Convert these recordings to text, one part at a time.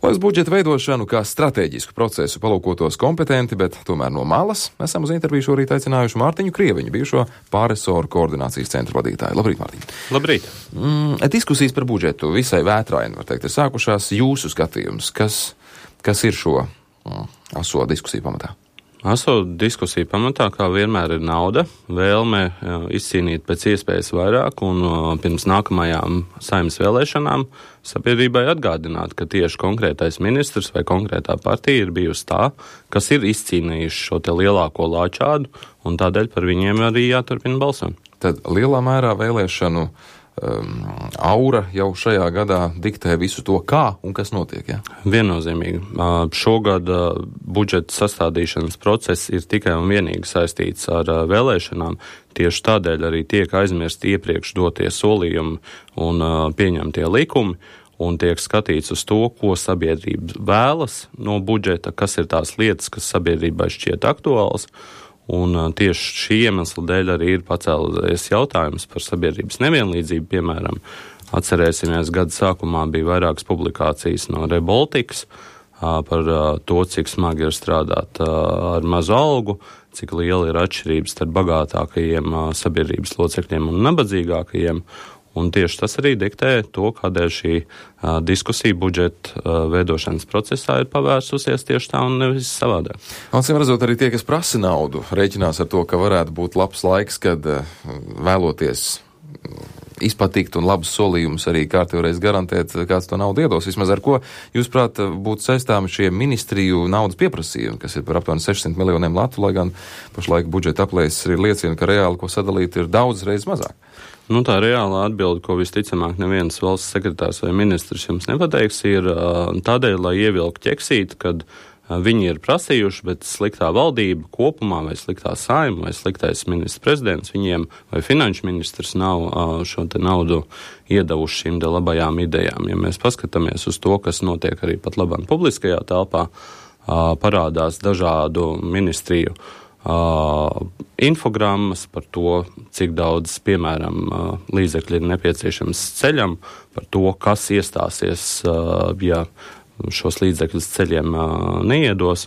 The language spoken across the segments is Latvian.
Lai uz budžeta veidošanu kā stratēģisku procesu palūkotos kompetenti, bet tomēr no malas, esam uz interviju šorīt aicinājuši Mārtiņu Krieviņu, bijušo pārresoru koordinācijas centra vadītāju. Labrīt, Mārtiņ. Labrīt. Diskusijas par budžetu visai vētraini, var teikt, ir sākušās. Jūsu skatījums, kas ir šo aso diskusiju pamatā? Aso diskusiju pamatā, kā vienmēr, ir nauda, vēlme izcīnīt pēc iespējas vairāk un pirms nākamajām Saeimas vēlēšanām sabiedrībai atgādināt, ka tieši konkrētais ministrs vai konkrētā partija ir bijusi tā, kas ir izcīnījuši šo te lielāko lāčādu, un tādēļ par viņiem arī jāturpina balsot. Tad lielā mērā vēlēšanu aura jau šajā gadā diktē visu to, kā un kas notiek, ja? Viennozīmīgi. Šogad budžeta sastādīšanas process ir tikai un vienīgi saistīts ar vēlēšanām. Tieši tādēļ arī tiek aizmirsti iepriekš dotie solījumi un pieņemtie likumi, un tiek skatīts uz to, ko sabiedrība vēlas no budžeta, kas ir tās lietas, kas sabiedrībai šķiet aktuāls. Un tieši šī iemesla dēļ arī ir pacēlies jautājums par sabiedrības nevienlīdzību. Piemēram, atcerēsimies, gada sākumā bija vairākas publikācijas no Rebaltikas par to, cik smagi ir strādāt ar mazu algu, cik liela ir atšķirības starp bagātākajiem sabiedrības locekļiem un nabadzīgākajiem. Un tieši tas arī diktē to, kādēļ šī diskusija budžeta veidošanas procesā ir pavērsusies tieši tā un nevis savādāk. Acīm redzot, arī tie, kas prasa naudu, rēķinās ar to, ka varētu būt labs laiks, kad vēloties izpatikt un labus solījumus arī kārtībreiz garantēt, kāds to naudu iedos. Vismaz ar ko, jūs prāt, būtu saistāmi šie ministriju naudas pieprasījumi, kas ir par aptuveni 600 miljoniem latu, lai gan pašlaik budžeta aplēses arī liecina, ka reāli, ko sadalīt, ir daudz reizes mazāk. Tā reālā atbilde, ko visticamāk neviens valsts sekretārs vai ministrs jums nepateiks, ir tādēļ, lai ievilku ķeksīt, kad viņi ir prasījuši, bet sliktā valdība kopumā vai sliktā Saeima vai sliktais ministrs prezidents viņiem vai finanšu ministrs nav šo te naudu iedavuši šīm te labajām idejām. Ja mēs paskatāmies uz to, kas notiek arī pat labāk publiskajā telpā, parādās dažādu ministriju infogrammas par to, cik daudz, piemēram, līdzekļi ir nepieciešams ceļam, par to, kas iestāsies, ja šos līdzekļus ceļiem neiedos.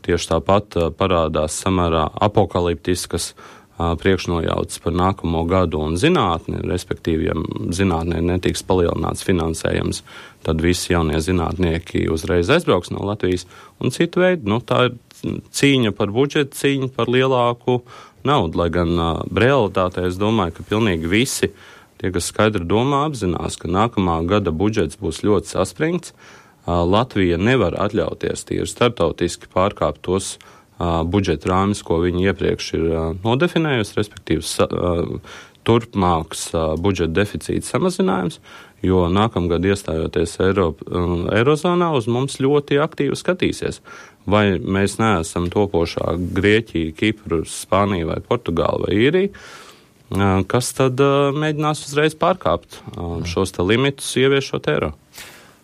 Tieši tāpat parādās samērā apokaliptiskas priekšnojautas par nākamo gadu un zinātni, respektīvi, ja zinātnē netiks palielināts finansējums, tad visi jaunie zinātnieki uzreiz aizbrauks no Latvijas un citu veidu. Tā ir cīņa par budžetu, cīņa par lielāku naudu, lai gan realitātē es domāju, ka pilnīgi visi tie, kas skaidri domā, apzinās, ka nākamā gada budžets būs ļoti saspringts. Latvija nevar atļauties tīri startautiski pārkāpt tos budžeta rāmis, ko viņi iepriekš ir nodefinējusi, respektīvi turpmāks budžeta deficīta samazinājums, jo nākamgad iestājoties Eirozonā uz mums ļoti aktīvi skatīsies. Vai mēs neesam topošā Grieķija, Kipru, Spānija vai Portugāla vai Īrija, kas tad mēģinās uzreiz pārkāpt šos te limitus, ieviešot eiro.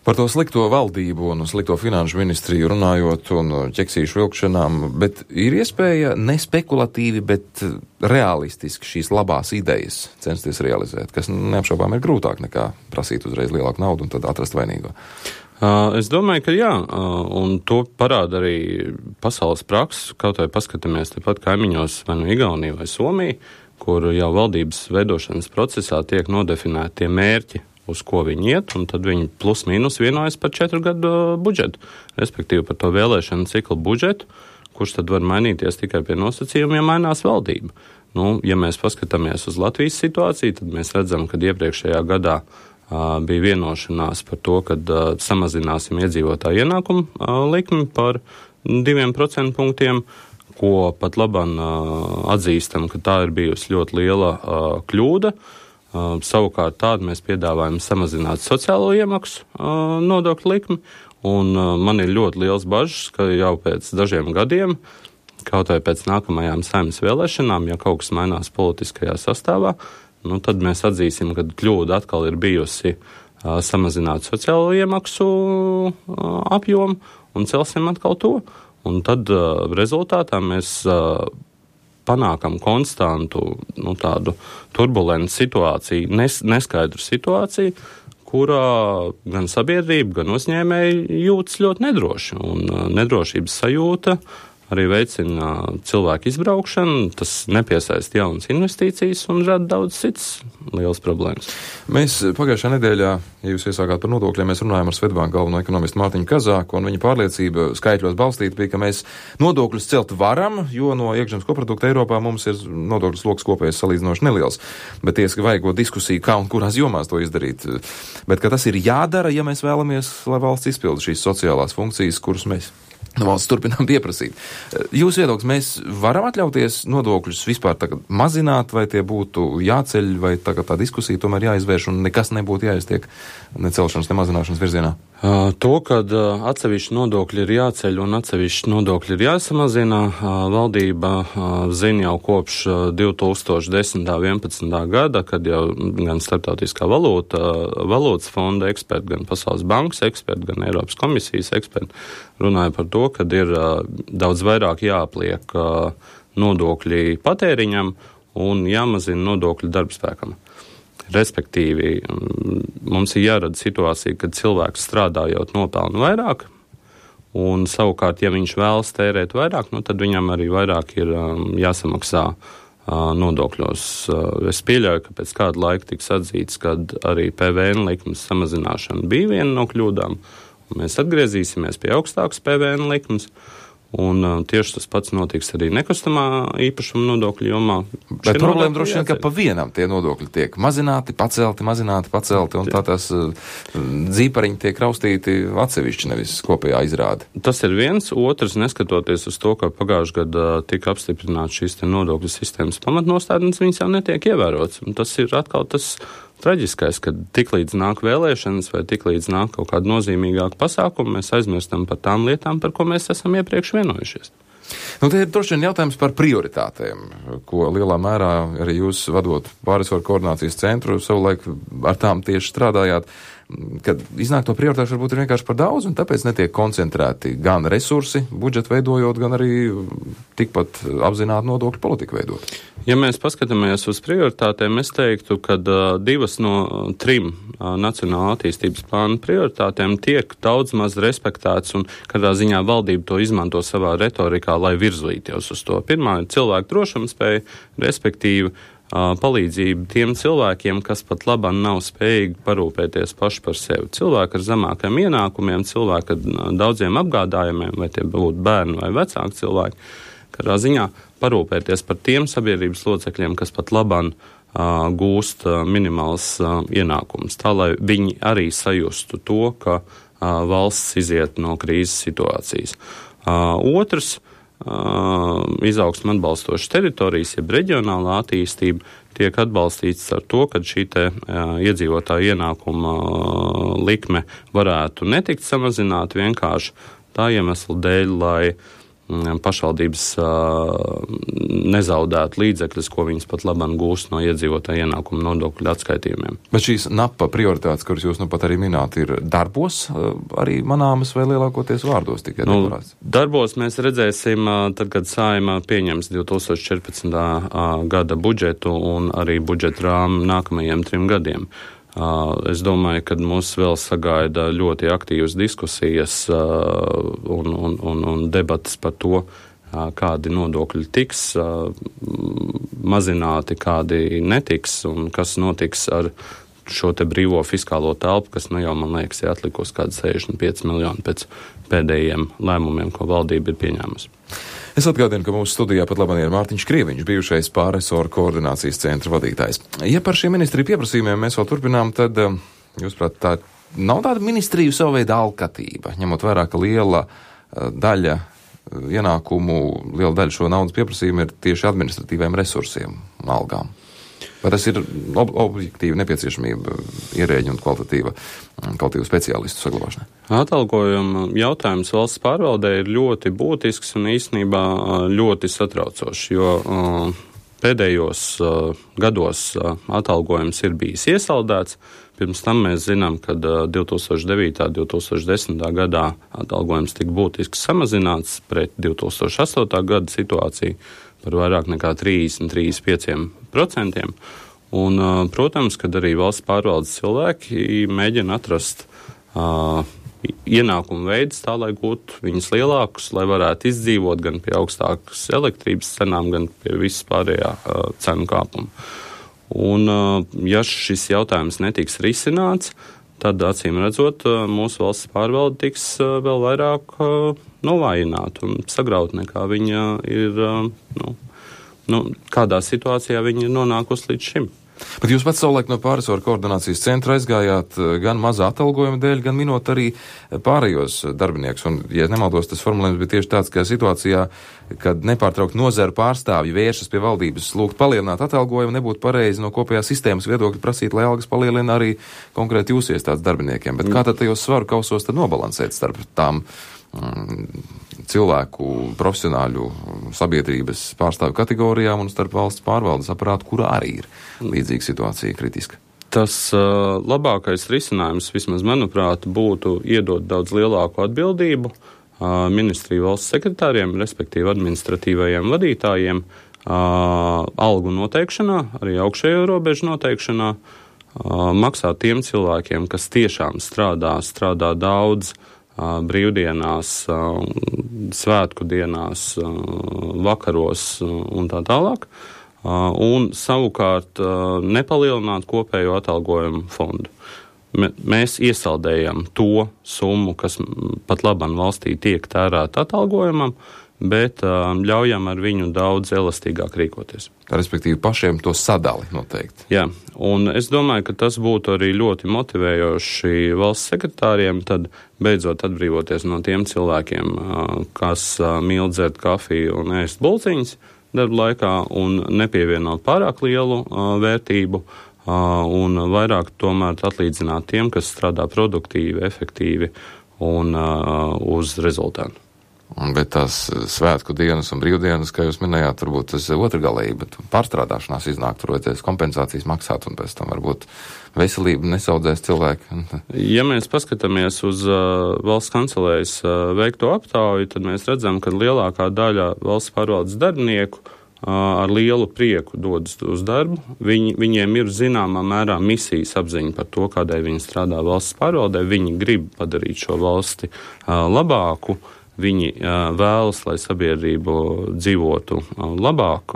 Par to slikto valdību un slikto finanšu ministriju runājot un ķeksīšu vilkšanām, bet ir iespēja nespekulatīvi, bet realistiski šīs labās idejas censties realizēt, kas neapšaubām ir grūtāk nekā prasīt uzreiz lielāku naudu un tad atrast vainīgo. Es domāju, ka jā, un to parāda arī pasaules prakses, kaut vai paskatāmies tepat kaimiņos vai no Igaunija vai Somija, kur jau valdības veidošanas procesā tiek nodefinēti tie mērķi, uz ko viņi iet, un tad viņi plus mīnus vienojas par 4 gadu budžetu, respektīvi par to vēlēšanu ciklu budžetu, kurš tad var mainīties tikai pie nosacījumiem, ja mainās valdība. Ja mēs paskatāmies uz Latvijas situāciju, tad mēs redzam, ka iepriekšējā gadā bija vienošanās par to, ka samazināsim iedzīvotāju ienākumu likmi par 2% punktiem, ko pat labam atzīstam, ka tā ir bijusi ļoti liela kļūda. Savukārt tādu mēs piedāvājam samazināt sociālo iemaksu nodokļu likmi, un man ir ļoti liels bažas, ka jau pēc dažiem gadiem, kaut vai pēc nākamajām Saeimas vēlēšanām, ja kaut kas mainās politiskajā sastāvā, tad mēs atzīsim, ka kļūda atkal ir bijusi samazināt sociālo iemaksu apjomu un celsim atkal to. Un tad rezultātā mēs panākam konstantu tādu turbulentu situāciju, neskaidru situāciju, kurā gan sabiedrība, gan uzņēmēji jūtas ļoti nedroši. Un nedrošības sajūta arī veicina cilvēku izbraukšanu, tas nepiesaista jaunas investīcijas un rada daudz citas lielas problēmas. Mēs pagājušā nedēļā, ja jūs iesākāt par nodokļiem, mēs runājām ar Svetbanku galveno ekonomistu Mārtiņu Kazāku, un viņa pārliecība skaitļos balstīta bija, ka mēs nodokļus celt varam, jo no iekšzemes koprodukta Eiropā mums ir nodokļu sloks kopējais salīdzinoši neliels. Bet tiesa vajago diskusiju, kā un kurās jomās to izdarīt. Bet ka tas ir jādara, ja mēs vēlamies, lai valsts izpilda šīs sociālās funkcijas, kuras mēs valsts turpinām pieprasīt. Jūs viedoklis, mēs varam atļauties nodokļus vispār tagad mazināt, vai tie būtu jāceļ, vai tagad tā diskusija tomēr jāizvērš un nekas nebūtu jāiztiek ne celšanas, ne mazināšanas virzienā? To, kad atsevišķi nodokļi ir jāceļ un atsevišķi nodokļi ir jāsamazina, valdība zina jau kopš 2010. 11. gada, kad jau gan Starptautiskā valūtas fonda eksperti, gan Pasaules bankas eksperti, gan Eiropas komisijas eksperti runāja par to, kad ir daudz vairāk jāapliek nodokļi patēriņam un jāmazina nodokļi darbspēkam. Respektīvi, mums ir jārada situācija, kad cilvēks strādājot nopelna vairāk, un savukārt, ja viņš vēlas tērēt vairāk, tad viņam arī vairāk ir jāsamaksā nodokļos. Es pieļauju, ka pēc kāda laika tiks atzīts, kad arī PVN likmes samazināšana bija viena no kļūdām, un mēs atgriezīsimies pie augstākas PVN likmes. Un tieši tas pats notiks arī nekustamā īpašuma nodokļu jomā. Bet problēma droši vien, ka pa vienam tie nodokļi tiek mazināti, pacelti, un tā tās dzīpariņi tiek raustīti atsevišķi, nevis kopējā izrāde. Tas ir viens. Otrs, neskatoties uz to, ka pagājušajā gadā tika apstiprināts šīs nodokļu sistēmas pamatnostādnes, viņas jau netiek ievērots. Un tas ir atkal tas traģiskais, ka tiklīdz nāk vēlēšanas vai tiklīdz nāk kaut kāda nozīmīgāka pasākuma, mēs aizmirstam par tām lietām, par ko mēs esam iepriekš vienojušies. Te ir droši vien jautājums par prioritātēm, ko lielā mērā arī jūs vadot pārresoru koordinācijas centru savulaik ar tām tieši strādājāt, kad iznāk to prioritāšu varbūt ir vienkārši par daudz, un tāpēc netiek koncentrēti gan resursi budžetu veidojot, gan arī tikpat apzināti nodokļu politiku veidot. Ja mēs paskatāmies uz prioritātēm, es teiktu, ka 2 no 3 nacionāla attīstības plāna prioritātēm tiek daudz maz respektēts, un kādā ziņā valdība to izmanto savā retorikā, lai virzītos uz to. Pirmā ir cilvēku drošumspēja, respektīvi palīdzību tiem cilvēkiem, kas pat labāk nav spējīgi parūpēties paši par sevi. Cilvēki ar zemākiem ienākumiem, cilvēki ar daudziem apgādājumiem, vai tie būtu bērni vai vecāki cilvēki, kādā ziņā parūpēties par tiem sabiedrības locekļiem, kas pat labāk gūst minimāls ienākums, tā lai viņi arī sajustu to, ka valsts iziet no krīzes situācijas. Otrs, izaugsme atbalstošas teritorijas, jeb reģionālā attīstība tiek atbalstīts ar to, ka šī iedzīvotāja ienākuma likme varētu netikt samazināta vienkārši tā iemesla dēļ, lai pašvaldības nezaudētu līdzekļus, ko viņas pat labāk gūst no iedzīvotāja ienākuma nodokļu atskaitījumiem. Bet šīs NAPA prioritātes, kuras jūs pat arī minēt, ir darbos arī manāmas vai lielākoties vārdos tikai deklarēts? Darbos mēs redzēsim, tad, kad Saeima pieņems 2014. Gada budžetu un arī budžeta rāmu nākamajiem 3 gadiem. Es domāju, ka mūs vēl sagaida ļoti aktīvas diskusijas un debatas par to, kādi nodokļi tiks mazināti, kādi netiks un kas notiks ar šo te brīvo fiskālo telpu, kas jau, man liekas, ir atlikusi kādi 65 miljoni pēc pēdējiem lēmumiem, ko valdība ir pieņēmusi. Es atgādinu, ka mūsu studijā pat labāk ir Mārtiņš Krieviņš, bijušais pārresoru koordinācijas centra vadītājs. Ja par šiem ministriju pieprasījumiem mēs vēl turpinām, tad, jūsuprāt, tā nav tāda ministriju savu veidu alkatība, ņemot vērā, ka liela daļa ienākumu, liela daļa šo naudas pieprasījumu ir tieši administratīviem resursiem un algām. Vai tas ir objektīva nepieciešamība ierēģi un kvalitatīvu speciālistu saglabāšanai? Atalgojuma jautājums valsts pārvaldē ir ļoti būtisks un īstenībā ļoti satraucošs, jo pēdējos gados atalgojums ir bijis iesaldēts. Pirms tam mēs zinām, ka 2009. 2010. gadā atalgojums tika būtiski samazināts pret 2008. gada situāciju par vairāk nekā 30-35%. Un, protams, kad arī valsts pārvaldes cilvēki mēģina atrast ienākumu veidus tā, lai gūtu viņus lielākus, lai varētu izdzīvot gan pie augstākas elektrības cenām, gan pie visas pārējā cenu kāpuma. Un, ja šis jautājums netiks risināts, tad, acīm redzot, mūsu valsts pārvalde tiks vēl vairāk novājināta un sagrauta, nekā viņa ir, kādā situācijā viņa ir nonākusi līdz šim. Bet jūs pats savulaik no pārresoru koordinācijas centra aizgājāt gan mazā atalgojuma dēļ, gan minot arī pārējos darbiniekus. Un, ja nemaldos, tas formulējums bija tieši tāds, ka situācijā, kad nepārtraukt nozaru pārstāvji vēršas pie valdības lūgt palielināt atalgojumu, nebūtu pareizi no kopējās sistēmas viedokļa prasīt, lai algas palielina arī konkrēti jūs iestādes darbiniekiem. Bet kā tad tajos svaru kausos tad nobalansēt starp tām cilvēku, profesionāļu sabiedrības pārstāvju kategorijām un starp valsts pārvaldes aparātu, kurā arī ir līdzīga situācija kritiska? Tas labākais risinājums, vismaz manuprāt, būtu iedot daudz lielāku atbildību ministriju valsts sekretāriem, respektīvi administratīvajiem vadītājiem, algu noteikšanā, arī augšējo robežu noteikšanā, maksāt tiem cilvēkiem, kas tiešām strādā daudz, brīvdienās, svētku dienās, vakaros un tā tālāk, un savukārt nepalielināt kopējo atalgojumu fondu. Mēs iesaldējam to summu, kas pat labam valstī tiek tērēta atalgojumam, bet ļaujam ar viņu daudz elastīgāk rīkoties. Respektīvi pašiem to sadali noteikti. Jā, un es domāju, ka tas būtu arī ļoti motivējoši valsts sekretāriem, tad beidzot atbrīvoties no tiem cilvēkiem, kas mīl dzert kafiju un ēst bulciņas darba laikā un nepievienot pārāk lielu vērtību un vairāk tomēr atlīdzināt tiem, kas strādā produktīvi, efektīvi un uz rezultātu. Bet tās svētku dienas un brīvdienas, kā jūs minējāt, varbūt tas otrgalīgi, bet pārstrādāšanās iznāk, tur vajadzēs kompensācijas maksāt un pēc tam varbūt veselību nesaudzēs cilvēki. Ja mēs paskatāmies uz valsts kancelējas veikto aptauju, tad mēs redzam, ka lielākā daļa valsts pārvaldes darbinieku ar lielu prieku dodas uz darbu. Viņiem ir zināmā mērā misijas apziņa par to, kādēļ viņi strādā valsts pārvaldē. Viņi grib padarīt šo valsti labāku. Viņi vēlas, lai sabiedrība dzīvotu labāk,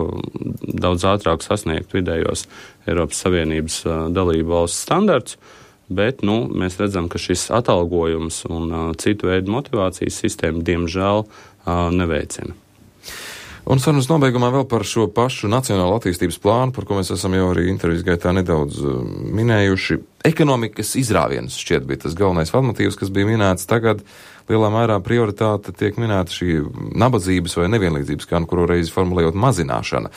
daudz ātrāk sasniegt vidējos Eiropas Savienības dalību valsts standarts, bet mēs redzam, ka šis atalgojums un citu veidu motivācijas sistēma diemžēl neveicina. Un sarunas nobeigumā vēl par šo pašu nacionālo attīstības plānu, par ko mēs esam jau arī intervijas gaitā nedaudz minējuši. Ekonomikas izrāviens šķiet bija tas galvenais vadmotīvs, kas bija minēts tagad. Lielā mērā prioritāte tiek minēta šī nabadzības vai nevienlīdzības, kā kuru reizi formulējot, mazināšana.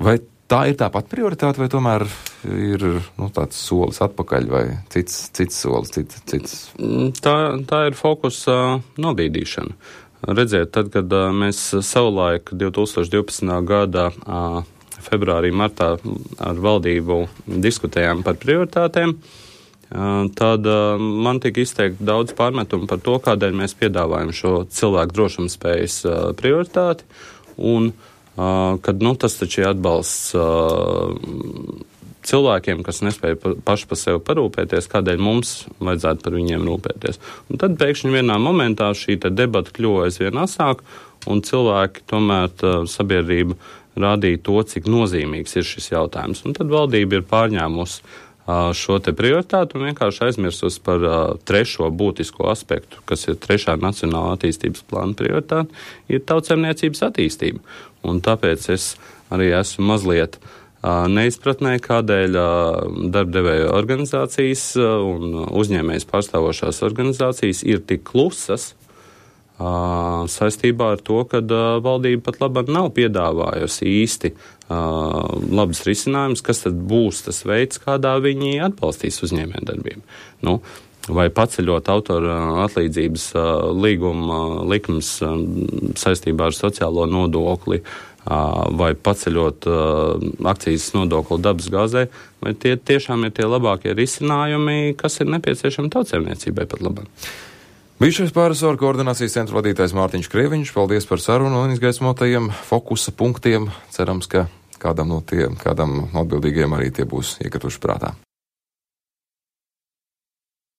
Vai tā ir tāpat prioritāte, vai tomēr ir tāds solis atpakaļ vai cits solis, cits? Tā ir fokusa nobīdīšana. Redziet, tad, kad mēs savulaik 2012. gada februārī, martā ar valdību diskutējām par prioritātēm, tad man tika izteikti daudz pārmetumu par to, kādēļ mēs piedāvājam šo cilvēku drošumspējas prioritāti, un kad tas taču ir atbalsts cilvēkiem, kas nespēja paši par sevi parūpēties, kādēļ mums vajadzētu par viņiem rūpēties. Un tad pēkšņi vienā momentā šī debata kļuva aizvien asāk, un cilvēki tomēr sabiedrība rādīja to, cik nozīmīgs ir šis jautājums. Un tad valdība ir pārņēmusi šo prioritātu un vienkārši aizmirsus par trešo būtisko aspektu, kas ir trešā nacionāla attīstības plāna prioritāte, ir tautsaimniecības attīstība. Un tāpēc es arī esmu mazliet neizpratnē, kādēļ darbdevēju organizācijas un uzņēmējas pārstāvošās organizācijas ir tik klusas saistībā ar to, ka valdība pat labāk nav piedāvājusi īsti labas risinājumus, kas tad būs tas veids, kādā viņi atbalstīs uzņēmējdarbību. Vai paceļot autora atlīdzības līguma likums saistībā ar sociālo nodokli, vai paceļot akcijas nodokli dabas gāzē, vai tie tiešām ir tie labākie risinājumi, kas ir nepieciešami tautsēmniecībai pat labāk. Bijušais pārresoru koordinācijas centra vadītājs Mārtiņš Krieviņš, paldies par sarunu un izgaismotajiem fokusa punktiem. Cerams, ka kādam atbildīgiem arī tie būs iekrituši prātā.